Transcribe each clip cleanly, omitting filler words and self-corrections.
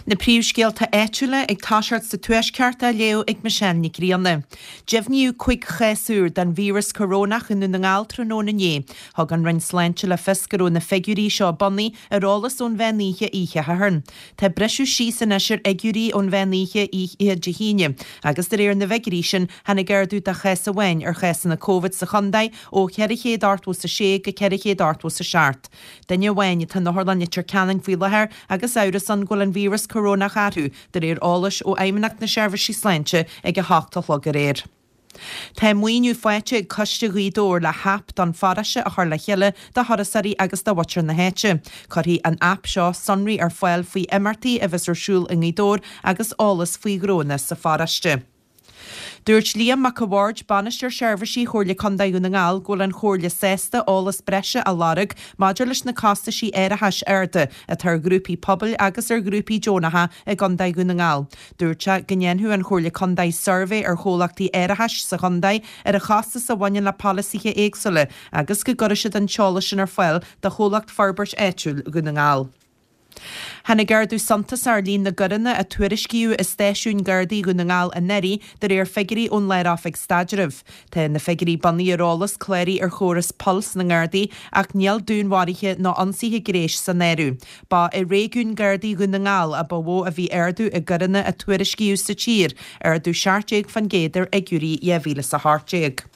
Na príomhscéalta áitiúla ag toiseacht sa Tuaisceart á léamh ag Michelle Nic Grianna. Deimhníodh 5 chás úr den víreas corónach i nDún na nGall tráthnóna inné. Thug an Roinn Sláinte le fios go raibh na figiúirí seo bunaithe ar eolas ón mheán oíche oíche Shathairn. Tá briseadh síos anois ar fhigiúirí ón mheán oíche oíche Dé hAoine agus de réir na bhfigiúirí sin tháinig ardú de chás amháin ar chásanna Covid sa chontae ó 486 go 487. Duine amháin atá in Otharlann Leitir Ceanainn faoi láthair agus amhras ann go bhfuil an víreas corónach orthu, de réir eolais ó Fheidhmeannacht na Seirbhísí Sláinte ag 8 a chlog aréir. Tá maoiniú faighte ag Coiste Ghaoth Dobhair le haip don pharóiste a chur le chéile do thurasóirí agus do mhuintir na háite. Cuirfidh an aip seo sonraí ar fáil faoi imeachtaí a bheas ar siúl i nGaoth Dobhair agus eolas faoi ghnónna sa pharóiste. Dúirt Liam Mac a' Bhaird, Bainisteoir Seirbhísí Chomhairle Contae Dhún na nGall, go bhfuil an Chomhairle sásta eolas breise a lorg maidir leis na costaisí árachais arda atá ar ghrúpaí pobail agus ar ghrúpaí deonacha i gContae Dhún na nGall. Dúirt sé go ndéanfadh an Chomhairle Contae suirbhé ar chomhlachtaí árachais sa chontae ar an chostas a bhaineann le polasaithe éagsúla agus go gcuirfeadh siad an t-eolas sin ar fáil do Chomhlacht Forbairt Áitiúil Dhún na nGall. Tháinig ardú suntasach ar líon na gcoireanna a tuairiscíodh i stáisiúin Gardaí Dhún na nGall anuraidh, de réir figiúirí ón Lár-Oifig Staidrimh. Tá na figiúirí bunaithe ar eolas cláraithe ar chóras Pulse na nGardaí ach níl dúnmharuithe ná ionsaithe gnéis san áireamh. Ba i réigiún Gardaí Dhún na nGall a ba mhó a bhí ardú i gcoireanna a tuairiscíodh sa tír, ardú 17% ar fhigiúirí 2018.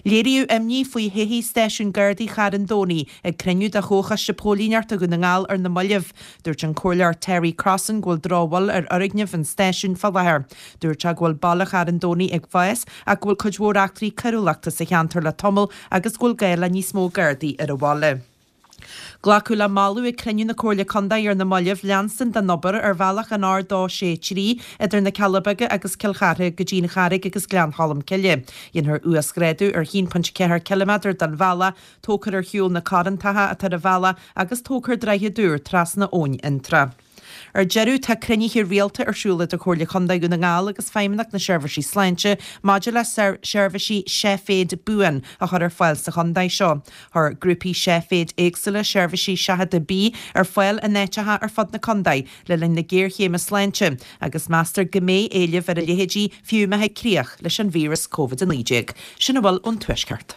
Léiríodh imní faoi thodhchaí Stáisiún Gardaí Charn Domhnaigh ag cruinniú de Chomhchoiste Póilíneachta Dhún na nGall ar na mallaibh. Dúirt an Comhairleoir Terry Crossan go bhfuil drochbhail ar fhoirgneamh an stáisiúin fá láthair. Dúirt sé go bhfuil baile Charn Domhnaigh ag fás ach go bhfuil cuid mhór eachtraí coiriúlachta sa cheantar le tamall agus go bhfuil gá le níos mó Gardaí ar an bhaile. Glacadh le moladh ag cruinniú na Comhairle Contae ar na mallaibh leanstan den obair ar bhealach an R263 idir na Cealla Beaga agus Cill Chartha go dtí an Charraig agus Gleann Cholm Cille. Dhéanfar uasghrádú ar 1.4 ciliméadar den bhealach, tógfar ar shiúl na corrantacha atá ar an bhealach agus tógfar droichead úr trasna Abhainn Fhionntrá. Ar deireadh, tá cruinnithe rialta ar siúl idir Comhairle Contae Dhún na nGall agus Feidhmeannacht na Seirbhísí Sláinte maidir le seirbhísí seiféid buan a chur ar fáil sa chontae seo. Chuir grúpaí seiféid éagsúla seirbhísí seachadta bídh ar fáil in áiteacha ar fud na contae le linn na géarchéime sláinte agus meastar go mbeidh éileamh ar a leithéidí fiú má thig críoch leis an víreas Covid-19. Sin a bhfuil ón Tuaisceart.